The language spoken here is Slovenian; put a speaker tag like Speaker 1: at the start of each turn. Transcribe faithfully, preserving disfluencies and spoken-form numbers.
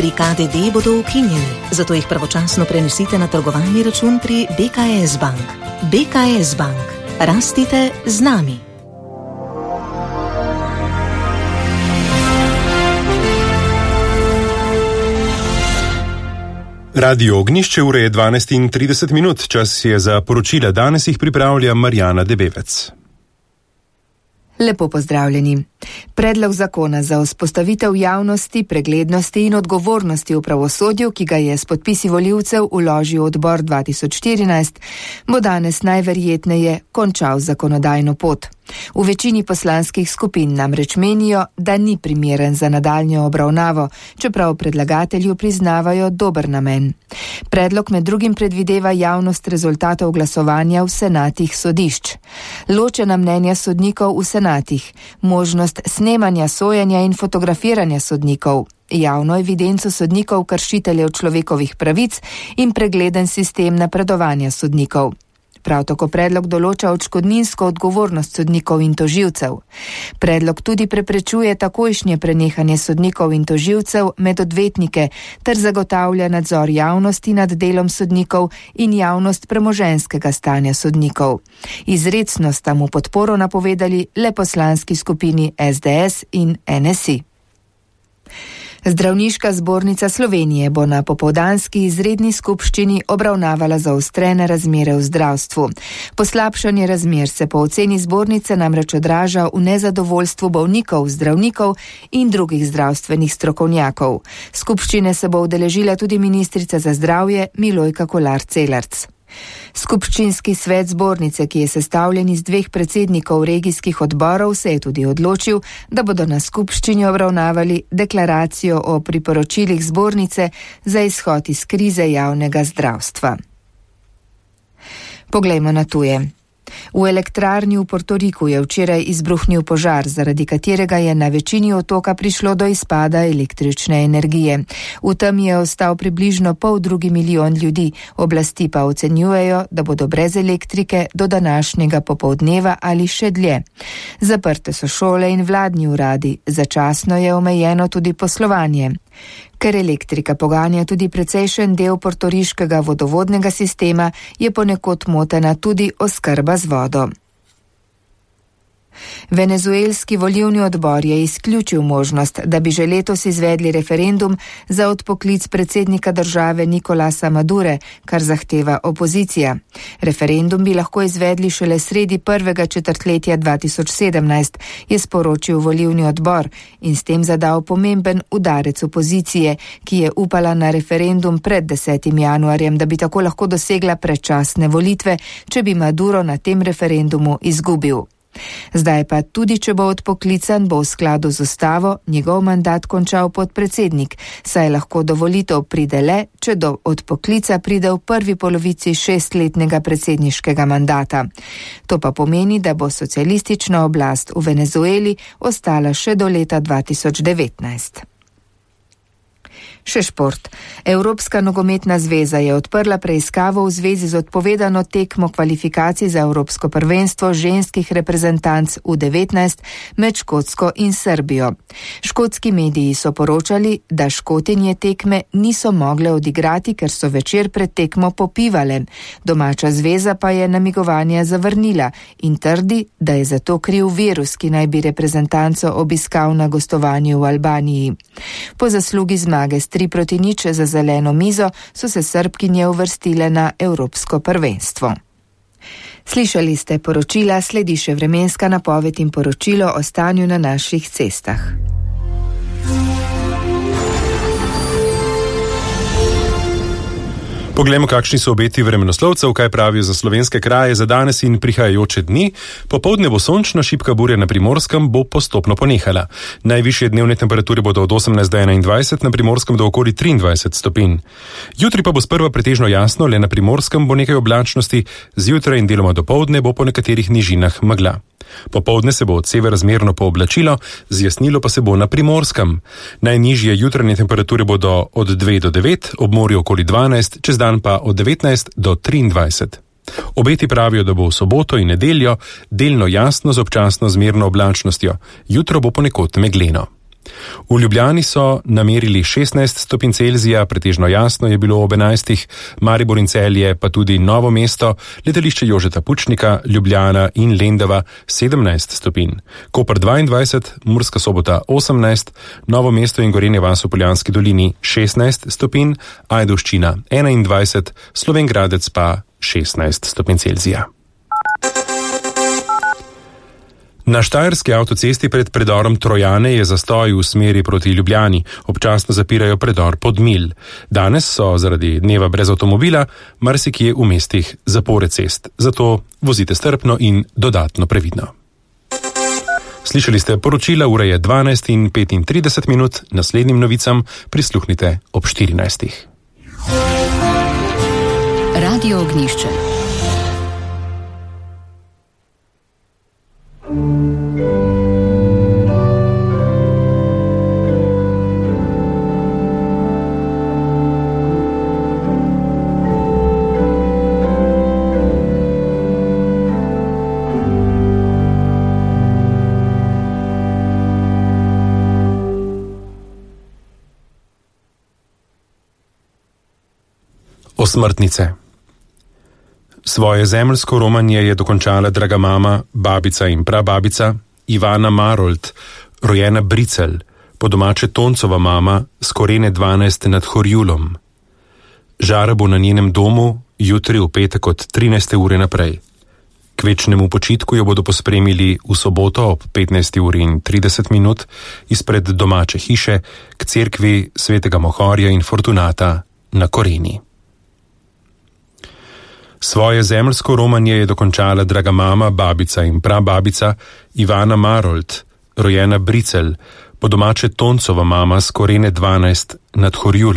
Speaker 1: Pri K D D bodo ukinjeni, zato jih pravočasno prenesite na trgovalni račun pri B K S Bank. B K S Bank. Rastite z nami.
Speaker 2: Radio Ognjišče, ure je dvanajst in trideset minut, čas je za poročila. Danes jih pripravlja Marjana Debevec.
Speaker 3: Lepo pozdravljeni. Predlog zakona za vzpostavitev javnosti, preglednosti in odgovornosti v pravosodju, ki ga je s podpisi volivcev vložil odbor dva tisoč štirinajst, bo danes najverjetneje končal zakonodajno pot. V večini poslanskih skupin namreč menijo, da ni primeren za nadaljnjo obravnavo, čeprav predlagatelju priznavajo dober namen. Predlog med drugim predvideva javnost rezultatov glasovanja v senatih sodišč, ločena mnenja sodnikov v senatih, možnost snemanja sojenja in fotografiranja sodnikov, javno evidenco sodnikov kršiteljev človekovih pravic in pregleden sistem napredovanja sodnikov. Prav tako predlog določa odškodninsko odgovornost sodnikov in tožilcev. Predlog tudi preprečuje takojšnje prenehanje sodnikov in tožilcev med odvetnike ter zagotavlja nadzor javnosti nad delom sodnikov in javnost premoženjskega stanja sodnikov. Izrecno sta mu podporo napovedali le poslanski skupini S D S in N S I. Zdravniška zbornica Slovenije bo na popoldanski izredni skupščini obravnavala zaostrene razmere v zdravstvu. Poslabšanje razmer se po oceni zbornice namreč odraža v nezadovoljstvu bolnikov, zdravnikov in drugih zdravstvenih strokovnjakov. Skupščine se bo udeležila tudi ministrica za zdravje Milojka Kolar Celarc. Skupščinski svet zbornice, ki je sestavljen iz dveh predsednikov regijskih odborov, se je tudi odločil, da bodo na skupščini obravnavali deklaracijo o priporočilih zbornice za izhod iz krize javnega zdravstva. Poglejmo na tuje. V elektrarni v Portoriku je včeraj izbruhnil požar, zaradi katerega je na večini otoka prišlo do izpada električne energije. V tem je ostal približno pol drugi milijon ljudi, oblasti pa ocenjujejo, da bodo brez elektrike do današnjega popoldneva ali še dlje. Zaprte so šole in vladni uradi, začasno je omejeno tudi poslovanje. Ker elektrika poganja tudi precejšen del portoriškega vodovodnega sistema, je ponekod motena tudi oskrba z vodo. Venezuelski volilni odbor je izključil možnost, da bi že letos izvedli referendum za odpoklic predsednika države Nicolasa Madure, kar zahteva opozicija. Referendum bi lahko izvedli šele sredi prvega četrtletja dva tisoč sedemnajst, je sporočil volilni odbor in s tem zadal pomemben udarec opozicije, ki je upala na referendum pred desetim januarjem, da bi tako lahko dosegla predčasne volitve, če bi Maduro na tem referendumu izgubil. Zdaj pa tudi, če bo odpoklican, bo v skladu z ustavo njegov mandat končal podpredsednik, saj lahko do volitev pride le, če do odpoklica pride v prvi polovici šestletnega predsedniškega mandata. To pa pomeni, da bo socialistična oblast v Venezueli ostala še do leta dva tisoč devetnajst. Še šport. Evropska nogometna zveza je odprla preiskavo v zvezi z odpovedano tekmo kvalifikacij za Evropsko prvenstvo ženskih reprezentanc U devetnajst med Škotsko in Srbijo. Škotski mediji so poročali, da Škotinje tekme niso mogle odigrati, ker so večer pred tekmo popivale. Domača zveza pa je namigovanja zavrnila in trdi, da je zato kriv virus, ki naj bi reprezentanco obiskal na gostovanju v Albaniji. Po zaslugi zmage s tri proti nič za zeleno mizo so se Srbkinje uvrstile na Evropsko prvenstvo. Slišali ste poročila, sledi še vremenska napoved in poročilo o stanju na naših cestah.
Speaker 2: Poglejmo, kakšni so obeti vremenoslovcev, kaj pravijo za slovenske kraje za danes in prihajajoče dni. Popoldne bo sončna, šibka burja na Primorskem bo postopno ponehala. Najvišje dnevne temperature bodo od osemnajst do enaindvajset, na Primorskem do okoli triindvajset stopinj. Jutri pa bo sprva pretežno jasno, le na Primorskem bo nekaj oblačnosti, zjutraj in deloma dopoldne bo po nekaterih nižinah megla. Popoldne se bo od severa zmerno pooblačilo, zjasnilo pa se bo na Primorskem. Najnižje jutranje temperature bodo od dve do devet, ob morju okoli dvanajst, čez dan pa od devetnajst do triindvajset. Obeti pravijo, da bo v soboto in nedeljo delno jasno z občasno zmerno oblačnostjo. Jutro bo ponekod megleno. V Ljubljani so namerili šestnajst stopinj Celzija, pretežno jasno je bilo ob enajstih, Maribor in Celje pa tudi Novo mesto, letališče Jožeta Pučnika, Ljubljana in Lendava sedemnajst stopinj, Koper dvaindvajset, Murska Sobota osemnajst, Novo mesto in Gorenja vas v Poljanski dolini šestnajst stopinj, Ajdovščina enaindvajset, Slovenj Gradec pa šestnajst stopinj Celzija. Na štajerski avtocesti pred predorom Trojane je zastoj v smeri proti Ljubljani, občasno zapirajo predor Podmilj. Danes so zaradi dneva brez avtomobila marsikje v mestih zapore cest, zato vozite strpno in dodatno previdno. Slišali ste poročila, ura je dvanajst in petintrideset minut, naslednjim novicam prisluhnite ob štirinajstih.
Speaker 1: Radio Ognjišče.
Speaker 2: Osmrtnice. Svoje zemeljsko romanje je dokončala draga mama, babica in prababica Ivana Marolt, rojena Bricelj, po domače Toncova mama, s Korene dvanajst nad Horjulom. Žara bo na njenem domu jutri v petek od trinajste ure naprej. K večnemu počitku jo bodo pospremili v soboto ob petnajsti uri in trideset minut izpred domače hiše k cerkvi svetega Mohorja in Fortunata na Koreni. Svoje zemeljsko romanje je dokončala draga mama, babica in prababica Ivana Marolt, rojena Bricelj, po domače Toncova mama s Korene dvanajst nad Horjulom.